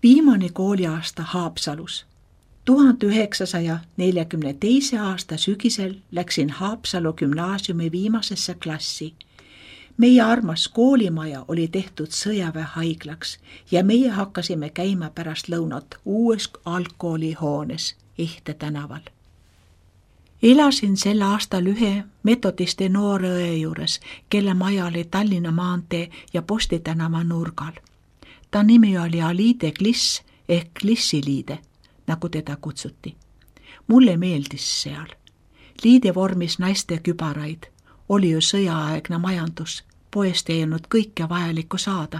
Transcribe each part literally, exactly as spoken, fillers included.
Viimane kooliaasta Haapsalus. tuhande üheksasaja neljakümne teise aasta sügisel läksin Haapsalu gümnaasiumi viimasesse klassi. Meie armas koolimaja oli tehtud sõjaväehaiglaks ja meie hakkasime käima pärast lõunat uues algkoolihoones Ehte tänaval. Elasin sel aastal ühe metodisti noore õe juures, kelle maja oli Tallinna maantee ja Posti tänava nurgal. Ta nimi oli Aliide Kliss ehk Klissiliide, nagu teda kutsuti. Mulle meeldis seal. Liide vormis naiste kübaraid. Oli ju sõjaaegne majandus. Poest ei olnud kõike vajalikku saada.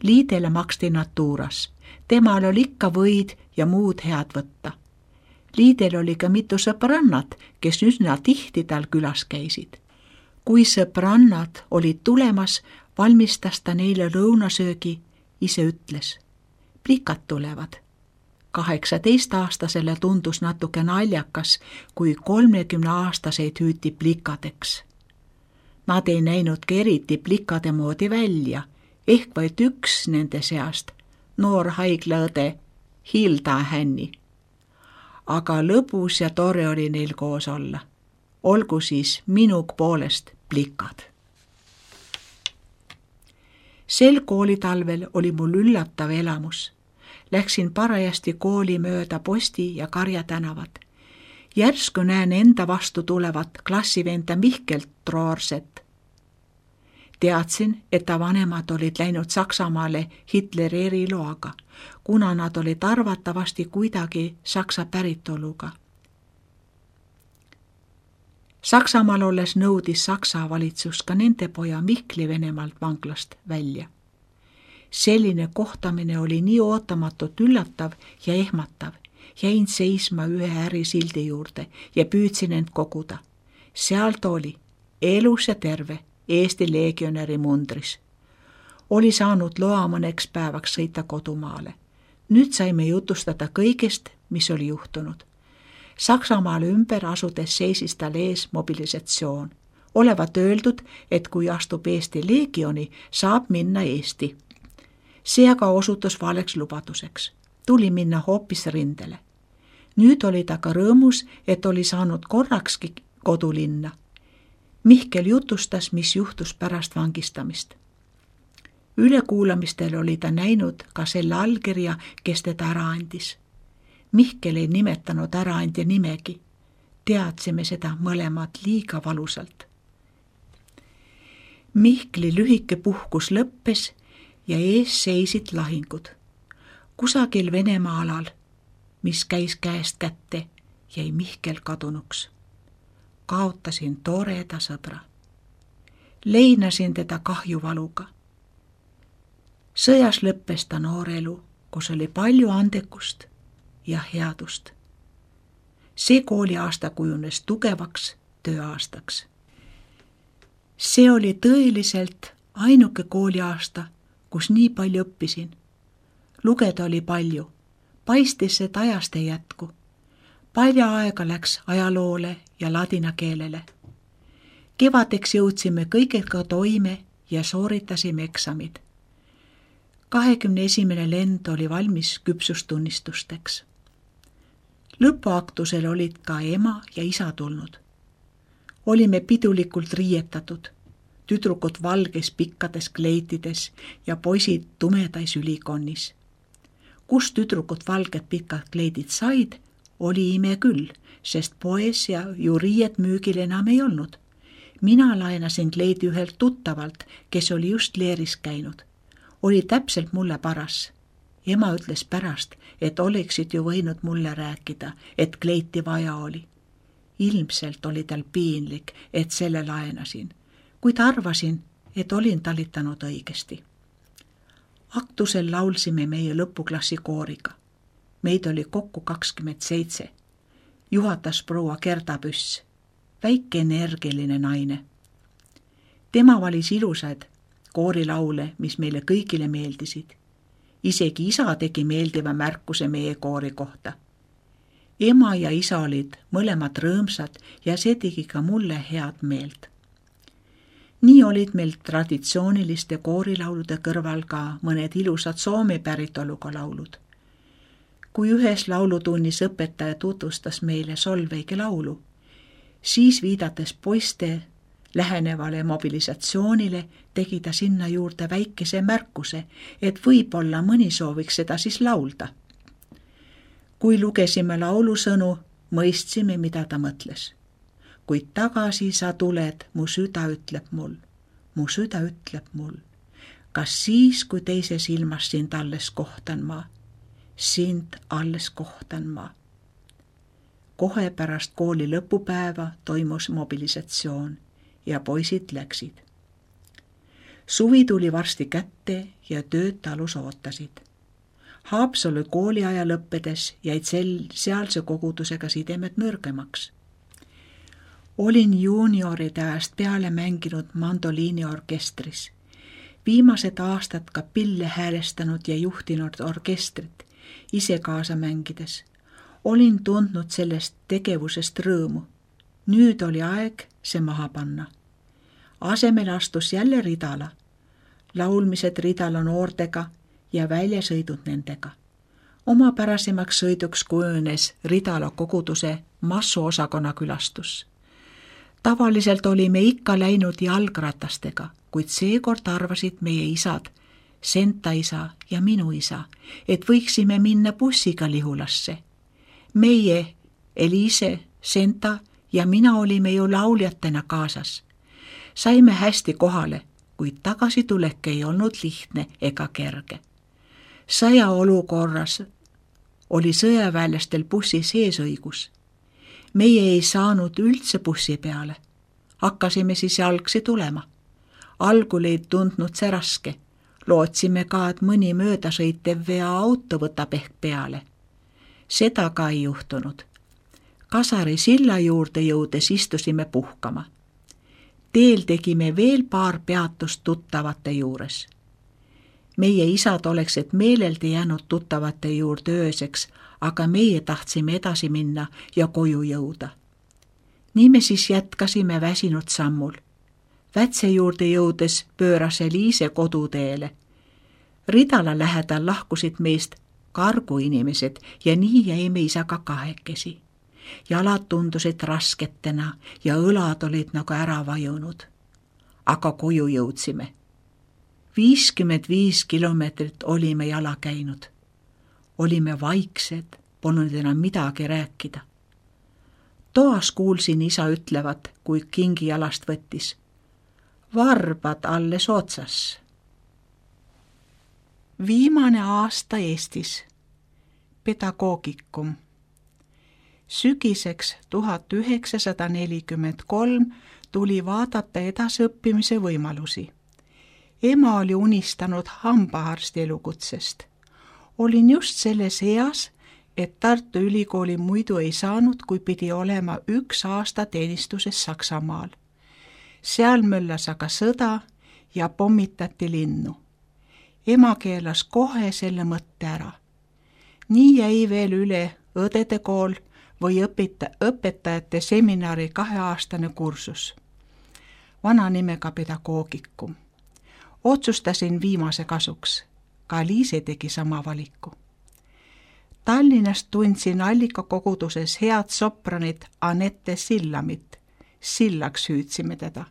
Liidele maksti natuuras. Temal oli ikka võid ja muud head võtta. Liidel oli ka mitu sõbrannat, kes üsna tihti tal külas käisid. Kui sõbrannad olid tulemas, valmistas ta neile lõunasöögi, ise ütles. Plikad tulevad. kaheksateist-aastasele tundus natuke naljakas, kui kolmekümne aastaseid hüüti plikadeks. Nad ei näinudki eriti plikade moodi välja, ehk vaid üks nende seast, noor haiglaõde Hilda Hänni. Aga lõbus ja tore oli neil koos olla. Olgu siis minug poolest plikad. Sel koolitalvel oli mul üllatav elamus. Läksin parajasti kooli mööda Posti ja Karja tänavat. Järsku näen enda vastu tulevat klassivenda Mihkelt Troorset. Teadsin, et ta vanemad olid läinud Saksamaale Hitleri eriloaga, kuna nad olid arvatavasti kuidagi saksa päritoluga. Saksamaal olles nõudis Saksa valitsus ka nende poja Mihkli Venemaalt vanglast välja. Selline kohtamine oli nii ootamatult üllatav ja ehmatav. Jäin seisma ühe ärisildi juurde ja püüdsin end koguda. Sealt oli elus ja terve Eesti legionäri mundris. Oli saanud loa mõneks päevaks sõita kodumaale. Nüüd saime jutustada kõigest, mis oli juhtunud. Saksamaale ümber asudes seisis tal ees mobilisatsioon. Olevat öeldud, et kui astub Eesti legioni, saab minna Eesti. See aga osutus valeks lubaduseks. Tuli minna hoopis rindele. Nüüd oli ta ka rõõmus, et oli saanud korrakski kodulinna. Mihkel jutustas, mis juhtus pärast vangistamist. Ülekuulamistel oli ta näinud ka selle allkirja, kes teda ära andis. Mihkel ei nimetanud äraandja nimegi. Teadsime seda mõlemad liiga valusalt. Mihkli lühike puhkus lõppes ja ees seisid lahingud. Kusagil Venemaa alal, mis käis käest kätte, jäi Mihkel kadunuks. Kaotasin toreda sõbra. Leinasin teda kahjuvaluga. Sõjas lõppes ta noor elu, kus oli palju andekust ja headust. See kooliaasta kujunes tugevaks tööaastaks. See oli tõeliselt ainuke kooliaasta, kus nii palju õppisin. Lugeda oli palju. Paistis, et ajast ei jätku. Palju aega läks ajaloole ja ladina keelele. Kevadeks jõudsime kõigega toime ja sooritasime eksamid. kahekümne esimene lend oli valmis küpsustunnistusteks. Lõpuaktusel olid ka ema ja isa tulnud. Olime pidulikult riietatud. Tüdrukud valges pikkades kleitides ja poisid tumedais ülikonnis. Kus tüdrukud valged pikad kleidid said, oli ime küll, sest poes ja ju riiet müügil enam ei olnud. Mina laenasin kleidi ühelt tuttavalt, kes oli just leeris käinud. Oli täpselt mulle paras. Ema ütles pärast, et oleksid ju võinud mulle rääkida, et kleiti vaja oli. Ilmselt oli tal piinlik, et selle laenasin, kuid arvasin, et olin talitanud õigesti. Aktusel laulsime meie lõpuklassi kooriga. Meid oli kokku kakskümmend seitse. Juhatas proua Gerda Püss, väike energiline naine. Tema valis ilusaid koorilaule, mis meile kõigile meeldisid. Isegi isa tegi meeldiva märkuse meie koori kohta. Ema ja isa olid mõlemad rõõmsad ja see tegi ka mulle head meelt. Nii olid meil traditsiooniliste koorilaulude kõrval ka mõned ilusad Soome päritoluga laulud. Kui ühes laulutunnis õpetaja tutvustas meile Solveige laulu, siis viidates poiste lähenevale mobilisatsioonile tegi ta sinna juurde väikese märkuse, et võib-olla mõni sooviks seda siis laulda. Kui lugesime laulusõnu, mõistsime, mida ta mõtles. Kuid tagasi sa tuled, mu süda ütleb mul, mu süda ütleb mul. Kas siis, kui teises ilmas sind alles kohtan ma, sind alles kohtan ma. Kohe pärast kooli lõpupäeva toimus mobilisatsioon ja poisid läksid. Suvi tuli varsti kätte ja tööd talus ootasid. Haapsalu kooliaja lõppedes jäid sel, sealse kogudusega sidemed nõrgemaks. Olin juunioride ajast peale mänginud mandoliiniorkestris. Viimased aastad ka pille häälestanud ja juhtinud orkestrit, ise kaasa mängides. Olin tundnud sellest tegevusest rõõmu. Nüüd oli aeg see maha panna. Asemel astus jälle Ridala. Laulmised Ridala noortega ja väljasõidud nendega. Oma pärasemaks sõiduks kujunes Ridala koguduse massuosakonna külastus. Tavaliselt olime ikka läinud jalgratastega, kuid seekord arvasid meie isad, Senta isa ja minu isa, et võiksime minna bussiga Lihulasse. Meie, Eliise, Senta ja mina olime ju lauljatena kaasas. Saime hästi kohale, kuid tagasitulek ei olnud lihtne ega kerge. Sõja olukorras oli sõjaväelastel bussi seesõigus. Meie ei saanud üldse bussi peale. Hakkasime siis jalgsi tulema. Algul ei tundnud see raske. Lootsime ka, et mõni möödasõitev vea auto võtab ehk peale. Seda ka ei juhtunud. Kasari silla juurde jõudes istusime puhkama. Teel tegime veel paar peatust tuttavate juures. Meie isad oleksid meeleldi jäänud tuttavate juurde ööseks, aga meie tahtsime edasi minna ja koju jõuda. Nii me siis jätkasime väsinud sammul. Vätse juurde jõudes pööras Eliise koduteele. Ridala lähedal lahkusid meist kargu inimesed ja nii jäime isaga kahekesi. Jalad tundusid rasketena ja õlad olid nagu ära vajunud. Aga koju jõudsime. viiskümmend viis kilomeetrit olime jala käinud. Olime vaiksed, polnud enam midagi rääkida. Toas kuulsin isa ütlevat, kui kingi jalast võttis. Varbad alles otsas. Viimane aasta Eestis. Pedagoogikum. Sügiseks tuhat üheksasada nelikümmend kolm tuli vaadata edasiõppimise võimalusi. Ema oli unistanud hambaarsti elukutsest. Olin just selles eas, et Tartu Ülikooli muidu ei saanud, kui pidi olema üks aasta teenistuses Saksamaal. Seal möllas aga sõda ja pommitati linnu. Ema keelas kohe selle mõtte ära. Nii jäi veel üle õdede kool või õpeta, õpetajate seminari kaheaastane kursus. Vana nimega pedagoogikum. Otsustasin viimase kasuks. Ka Liise tegi sama valiku. Tallinnast tundsin allikakoguduses head sopranit Anette Sillamit. Sillaks hüüdsime teda.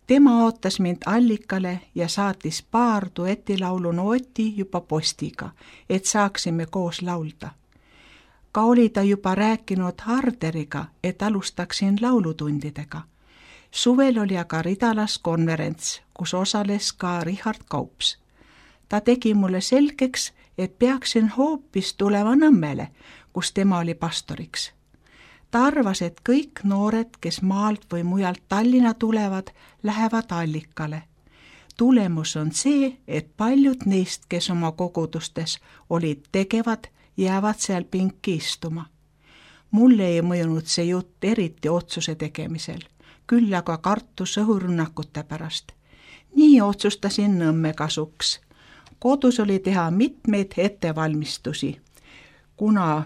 Tema ootas mind allikale ja saatis paar duetilaulu nooti juba postiga, et saaksime koos laulda. Ka oli ta juba rääkinud Harderiga, et alustaksin laulutundidega. Suvel oli aga Ridalas konverents, kus osales ka Richard Kaups. Ta tegi mulle selgeks, et peaksin hoopis tulema Nõmmele, kus tema oli pastoriks. Ta arvas, et kõik noored, kes maalt või mujalt Tallinna tulevad, lähevad allikale. Tulemus on see, et paljud neist, kes oma kogudustes olid tegevad, jäävad seal pinki istuma. Mulle ei mõjunud see jutt eriti otsuse tegemisel, küll aga kartus õhurünnakute pärast. Nii otsustasin Nõmme kasuks. Kodus oli teha mitmeid ettevalmistusi, kuna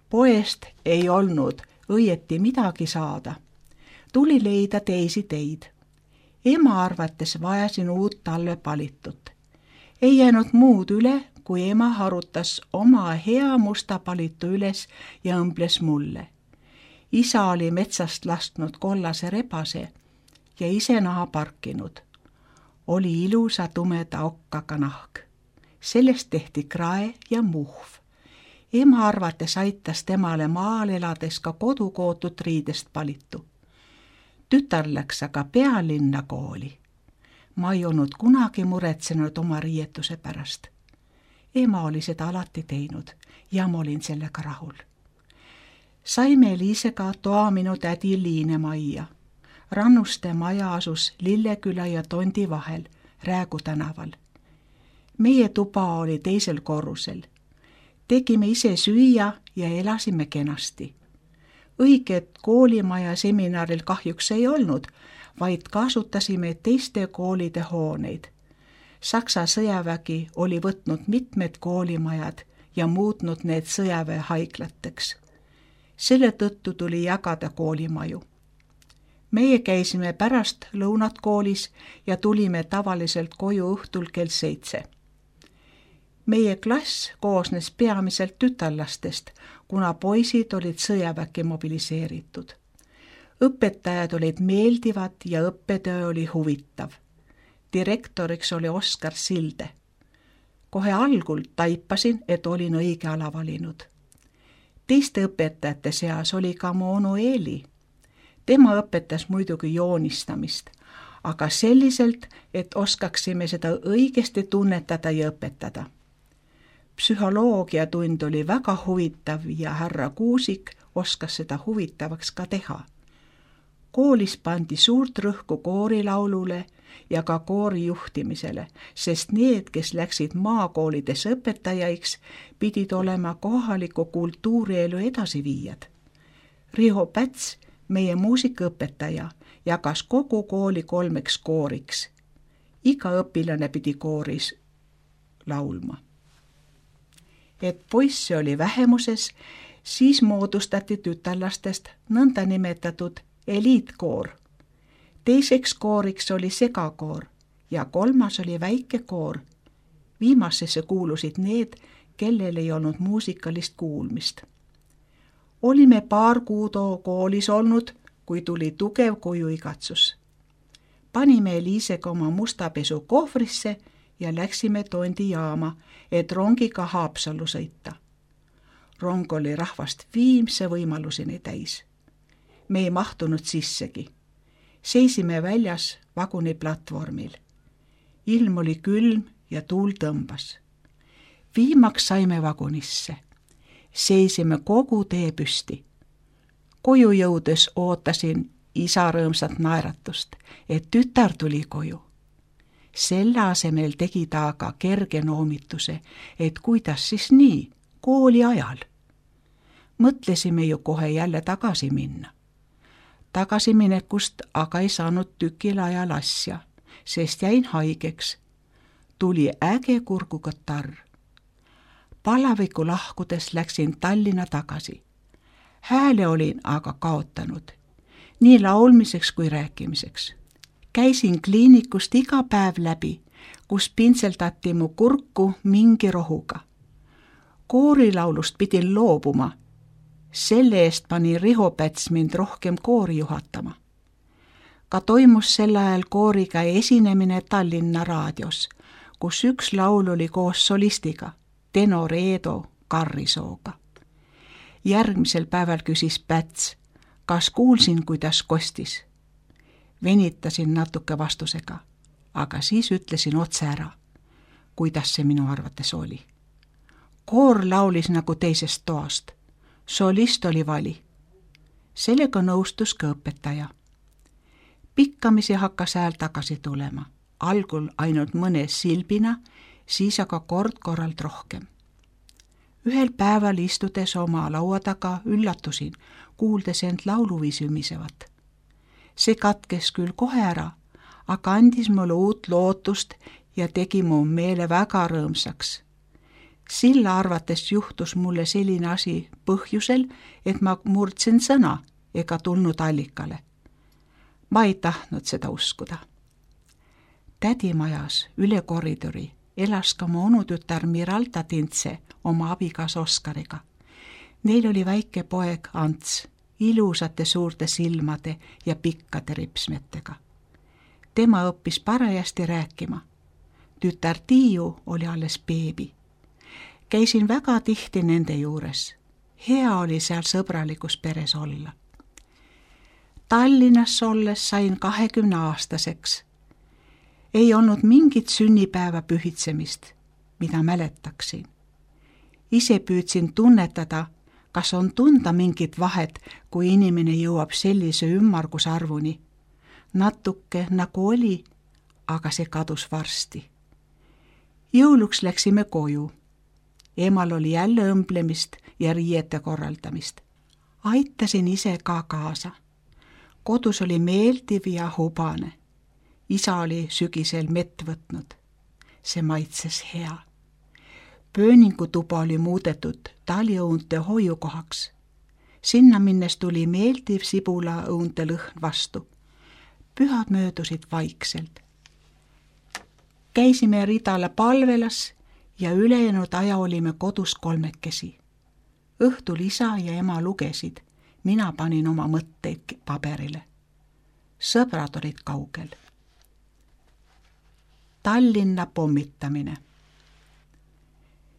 poest ei olnud õieti midagi saada. Tuli leida teisi teid. Ema arvates vajasin uut talvepalitut. Ei jäänud muud üle, kui ema harutas oma hea musta palitu üles ja õmbles mulle. Isa oli metsast lasknud kollase rebase ja ise naha parkinud. Oli ilusa tumeda okkaga nahk. Sellest tehti krae ja muhv. Ema arvates aitas temale maal elades ka kodukootud riidest palitu. Tütar läks aga pealinna kooli. Ma ei olnud kunagi muretsenud oma riietuse pärast. Ema oli seda alati teinud ja ma olin sellega rahul. Saime Liisega toa minu tädi Liine majja. Rannuste maja asus Lilleküla ja Tondi vahel, Räägu tänaval. Meie tuba oli teisel korrusel. Tegime ise süüa ja elasime kenasti. Õiget koolimaja seminaril kahjuks ei olnud, vaid kasutasime teiste koolide hooneid. Saksa sõjavägi oli võtnud mitmed koolimajad ja muutnud need sõjaväehaiglateks. Selle tõttu tuli jagada koolimaju. Meie käisime pärast lõunat koolis ja tulime tavaliselt koju õhtul kell seitse. Meie klass koosnes peamiselt tütarlastest, kuna poisid olid sõjaväkke mobiliseeritud. Õpetajad olid meeldivad ja õppetöö oli huvitav. Direktoriks oli Oskar Silde. Kohe algul taipasin, et olin õige ala valinud. Teiste õpetajate seas oli ka mu onu Eeli. Tema õpetas muidugi joonistamist, aga selliselt, et oskaksime seda õigesti tunnetada ja õpetada. Psühholoogiatund oli väga huvitav ja härra Kuusik oskas seda huvitavaks ka teha. Koolis pandi suurt rõhku koorilaulule ja ka koori juhtimisele, sest need, kes läksid maakoolides õpetajaiks, pidid olema kohaliku kultuurielu edasiviijad. Riho Päts, meie muusikaõpetaja, jagas kogu kooli kolmeks kooriks. Iga õpilane pidi kooris laulma. Et poisse oli vähemuses, siis moodustati tütarlastest nõnda nimetatud eliitkoor. Teiseks kooriks oli segakoor ja kolmas oli väike koor. Viimasesse kuulusid need, kellel ei olnud muusikalist kuulmist. Olime paar kuud koolis olnud, kui tuli tugev kojuigatsus. Panime Liisega oma mustapesu kohvrisse ja läksime Tondi jaama, et rongiga Haapsallu sõita. Rong oli rahvast viimse võimaluseni täis. Me ei mahtunud sissegi. Seisime väljas vaguni platvormil. Ilm oli külm ja tuul tõmbas. Viimaks saime vagunisse. Seisime kogu tee püsti. Koju jõudes ootasin isa rõõmsat naeratust, et tütar tuli koju. Selle asemel tegi ta aga kerge noomituse, et kuidas siis nii, kooli ajal. Mõtlesime ju kohe jälle tagasi minna. Tagasiminekust aga ei saanud tükil ajal asja, sest jäin haigeks. Tuli äge kurgukatarr. Palaviku lahkudes läksin Tallinna tagasi. Hääle olin aga kaotanud, nii laulmiseks kui rääkimiseks. Käisin kliinikust iga päev läbi, kus pintseldati mu kurku mingi rohuga. Koorilaulust pidin loobuma. Selle eest pani Riho Päts mind rohkem koori juhatama. Ka toimus sel ajal kooriga esinemine Tallinna raadios, kus üks laul oli koos solistiga, tenor Eedo Karrisooga. Järgmisel päeval küsis Päts, kas kuulsin, kuidas kostis. Venitasin natuke vastusega, aga siis ütlesin otse ära, kuidas see minu arvates oli. Koor laulis nagu teisest toast. Solist oli vali. Sellega nõustus ka õpetaja. Pikkamisi hakkas hääl tagasi tulema. Algul ainult mõne silbina, siis aga kord korralt rohkem. Ühel päeval istudes oma laua taga üllatusin, kuuldes end lauluviisi ümisevat. See katkes küll kohe ära, aga andis mulle uut lootust ja tegi mu meele väga rõõmsaks. Silla arvates juhtus mulle selline asi põhjusel, et ma murdsin sõna ega tulnud allikale. Ma ei tahtnud seda uskuda. Tädimajas üle koridori elas ka mu onutütar Miralda Tintse oma abikas Oskariga. Neil oli väike poeg Ants, ilusate suurte silmade ja pikkade ripsmetega. Tema õppis parajasti rääkima. Tütar Tiiu oli alles beebi. Käisin väga tihti nende juures. Hea oli seal sõbralikus peres olla. Tallinnas olles sain kahekümne aastaseks. Ei olnud mingit sünnipäeva pühitsemist, mida mäletaksin. Ise püüdsin tunnetada, kas on tunda mingit vahet, kui inimene jõuab sellise ümmargusarvuni. Natuke nagu oli, aga see kadus varsti. Jõuluks läksime koju. Emal oli jälle õmblemist ja riiete korraldamist. Aitasin ise ka kaasa. Kodus oli meeldiv ja hubane. Isa oli sügisel mett võtnud. See maitses hea. Pööningutuba oli muudetud taliõunte hoiukohaks. Sinna minnes tuli meeldiv sibulaõunte lõhn vastu. Pühad möödusid vaikselt. Käisime ridala palvelas ja ülejäänud aja olime kodus kolmekesi. Õhtul isa ja ema lugesid. Mina panin oma mõtteid paberile. Sõbrad olid kaugel. Tallinna pommitamine.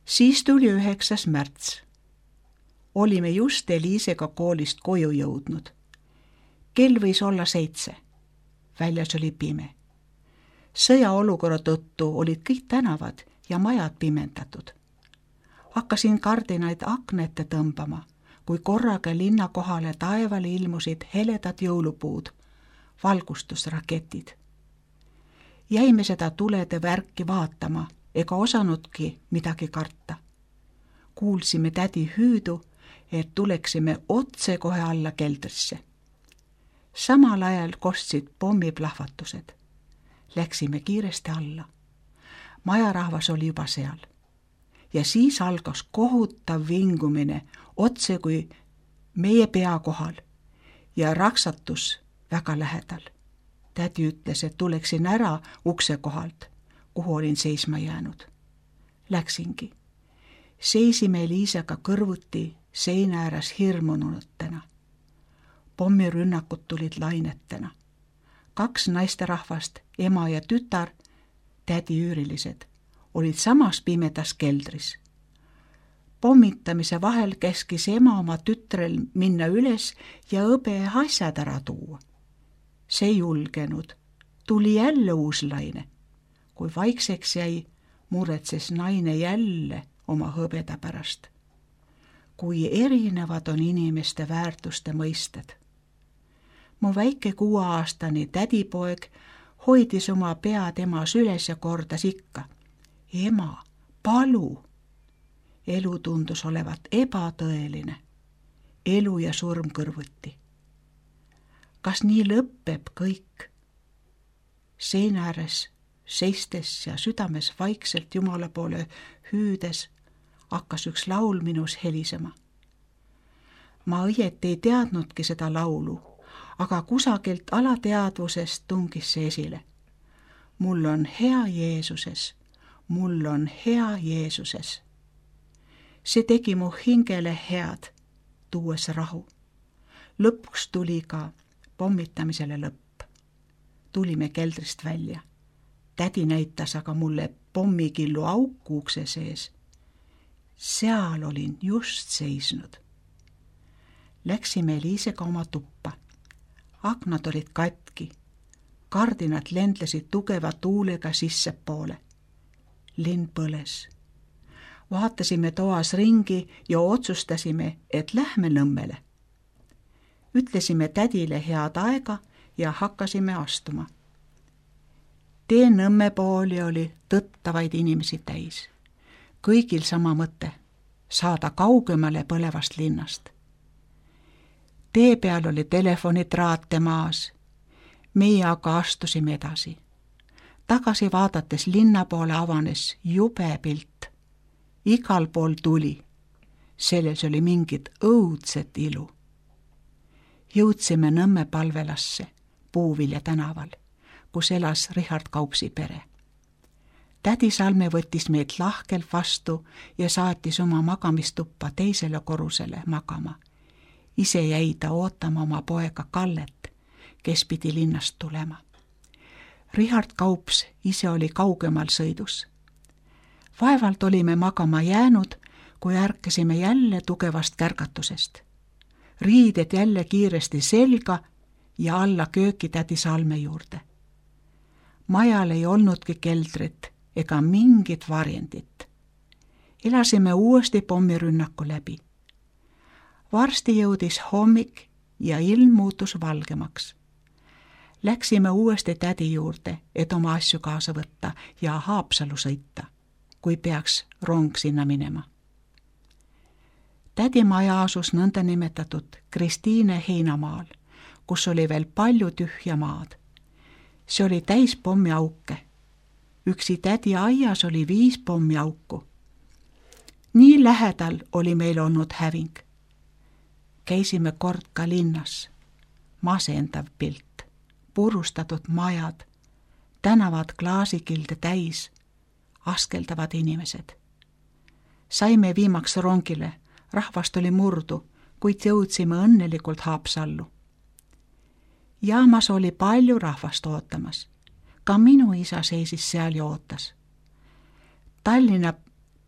Siis tuli üheksas märts. Olime just Eliisega koolist koju jõudnud. Kell võis olla seitse. Väljas oli pime. Sõjaolukorra tõttu olid kõik tänavad ja majad pimendatud. Hakkasin kardinaid aknete tõmbama, kui korraga linna kohale taevale ilmusid heledad jõulupuud, valgustusraketid. Jäime seda tulede värki vaatama, ega osanudki midagi karta. Kuulsime tädi hüüdu, et tuleksime otse kohe alla keldrisse. Samal ajal kostsid pommiplahvatused. Läksime kiiresti alla. Majarahvas oli juba seal. Ja siis algas kohutav vingumine otse kui meie pea kohal ja raksatus väga lähedal. Tädi ütles, et tuleksin ära ukse kohalt, kuhu olin seisma jäänud. Läksingi. Seisime Eliisega kõrvuti seina ääres hirmunutena. Pommirünnakud tulid lainetena. Kaks naisterahvast, ema ja tütar, tädi üürilised, olid samas pimedas keldris. Pommitamise vahel käskis ema oma tütrel minna üles ja õbe asjad ära tuua. See julgenud. Tuli jälle uus laine. Kui vaikseks jäi, muretses naine jälle oma hõbeda pärast. Kui erinevad on inimeste väärtuste mõisted. Mu väike kuueaastane tädipoeg hoidis oma pead emas üles ja kordas ikka. Ema, palu! Elu tundus olevat ebatõeline. Elu ja surm kõrvuti. Kas nii lõppeb kõik? Seina ääres seistes ja südames vaikselt Jumala poole hüüdes hakkas üks laul minus helisema. Ma õieti ei teadnudki seda laulu, aga kusagilt alateadvusest tungis see esile. Mul on hea Jeesuses, mul on hea Jeesuses. See tegi mu hingele head, tuues rahu. Lõpuks tuli ka pommitamisele lõpp. Tulime keldrist välja. Tädi näitas aga mulle pommikillu auku ukse sees. Seal olin just seisnud. Läksime Eliisega oma tuppa. Aknad olid katki. Kardinad lendlesid tugeva tuulega sissepoole. Linn põles. Vaatasime toas ringi ja otsustasime, et lähme Nõmmele. Ütlesime tädile head aega ja hakkasime astuma. Tee Nõmme pooli oli tõttavaid inimesi täis. Kõigil sama mõte, saada kaugemale põlevast linnast. Tee peal oli telefonitraate maas. Meie aga astusime edasi. Tagasi vaadates linna poole avanes jube pilt. Igal pool tuli. Selles oli mingit õudset ilu. Jõudsime Nõmme palvelasse, Puuvilja tänaval. kus elas Richard Kaupsi pere. Tädi Salme võttis meid lahkelt vastu ja saatis oma magamistuppa teisele korrusele magama. Ise jäi ta ootama oma poega Kallet, kes pidi linnast tulema. Richard Kaups ise oli kaugemal sõidus. Vaevalt olime magama jäänud, kui ärkasime jälle tugevast kärgatusest. Riided jälle kiiresti selga ja alla kööki tädi Salme juurde. Majal ei olnudki keldrit ega mingit varjendit. Elasime uuesti pommirünnaku läbi. Varsti jõudis hommik ja ilm muutus valgemaks. Läksime uuesti tädi juurde, et oma asju kaasa võtta ja Haapsalu sõita, kui peaks rong sinna minema. Tädi maja asus nõnda nimetatud Kristiine heinamaal, kus oli veel palju tühja maad. See oli täis pommiauke. Üksi tädi aias oli viis pommiauku. Nii lähedal oli meil olnud häving. Käisime kord ka linnas. Masendav pilt, purustatud majad, tänavad klaasikilde täis, askeldavad inimesed. Saime viimaks rongile, rahvast oli murdu, kuid jõudsime õnnelikult Haapsallu. Jaamas oli palju rahvast ootamas. Ka minu isa seisis seal ja ootas. Tallinna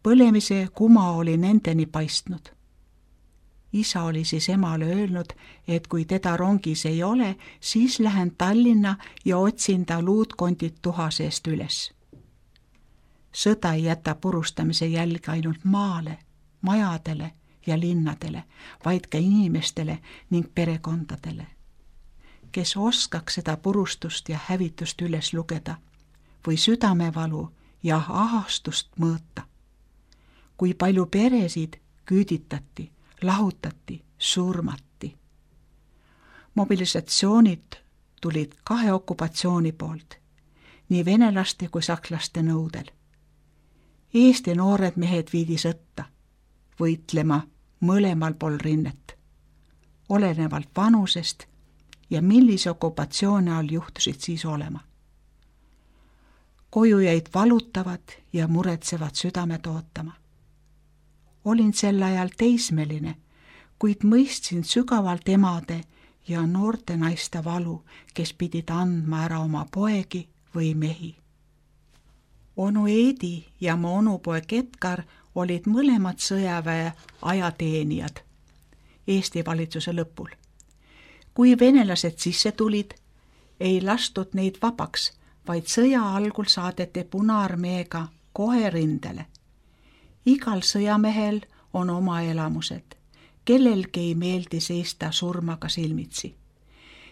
põlemise kuma oli nendeni paistnud. Isa oli siis emale öelnud, et kui teda rongis ei ole, siis lähen Tallinna ja otsin ta luutkondid tuha seest üles. Sõda ei jäta purustamise jälge ainult maale, majadele ja linnadele, vaid ka inimestele ning perekondadele. Kes oskaks seda purustust ja hävitust üles lugeda või südamevalu ja ahastust mõõta. Kui palju peresid küüditati, lahutati, surmati. Mobilisatsioonid tulid kahe okupatsiooni poolt, nii venelaste kui sakslaste nõudel. Eesti noored mehed viidi sõtta, võitlema mõlemal pool rinnet, olenevalt vanusest ja millise okupatsiooni all juhtusid siis olema. Koju jäid valutavad ja muretsevad südamed ootama. Olin sel ajal teismeline, kuid mõistsin sügavalt emade ja noorte naiste valu, kes pidid andma ära oma poegi või mehi. Onu Eedi ja mu onupoeg Edgar olid mõlemad sõjaväe ajateenijad Eesti valitsuse lõpul. Kui venelased sisse tulid, ei lastud neid vabaks, vaid sõja algul saadeti Punaarmeega kohe rindele. Igal sõjamehel on oma elamused, kellelgi ei meeldi seista surmaga silmitsi.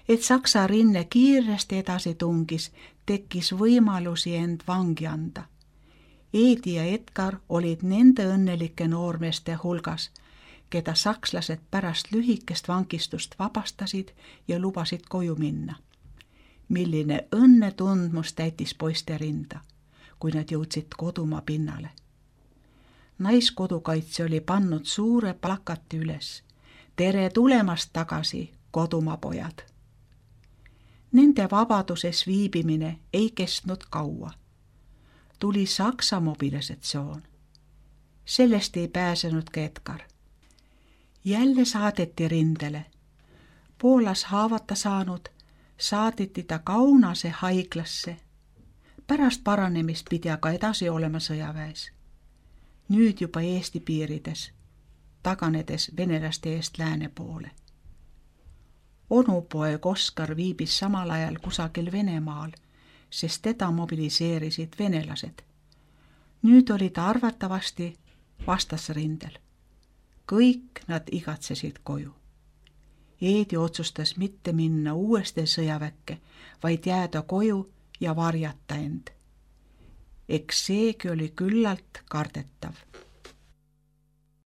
Et Saksa rinne kiiresti edasi tungis, tekkis võimalusi end vangi anda. Eedi ja Edgar olid nende õnnelike noormeeste hulgas, keda sakslased pärast lühikest vangistust vabastasid ja lubasid koju minna. Milline õnnetundmus täitis poiste rinda, kui nad jõudsid kodumaa pinnale. Naiskodukaitse oli pannud suure plakati üles. Tere tulemast tagasi, kodumaa pojad! Nende vabaduses viibimine ei kestnud kaua. Tuli Saksa mobilisatsioon. Sellest ei pääsenud ka Edgar. Jälle saadeti rindele. Poolas haavata saanud, saadeti ta Kaunase haiglasse. Pärast paranemist pidi aga edasi olema sõjaväes. Nüüd juba Eesti piirides, taganedes venelaste eest lääne poole. Onupoeg Oskar viibis samal ajal kusagil Venemaal, sest teda mobiliseerisid venelased. Nüüd oli ta arvatavasti vastasrindel. Kõik nad igatsesid koju. Eedi otsustas mitte minna uuesti sõjaväkke, vaid jääda koju ja varjata end. Eks seegi oli küllalt kardetav.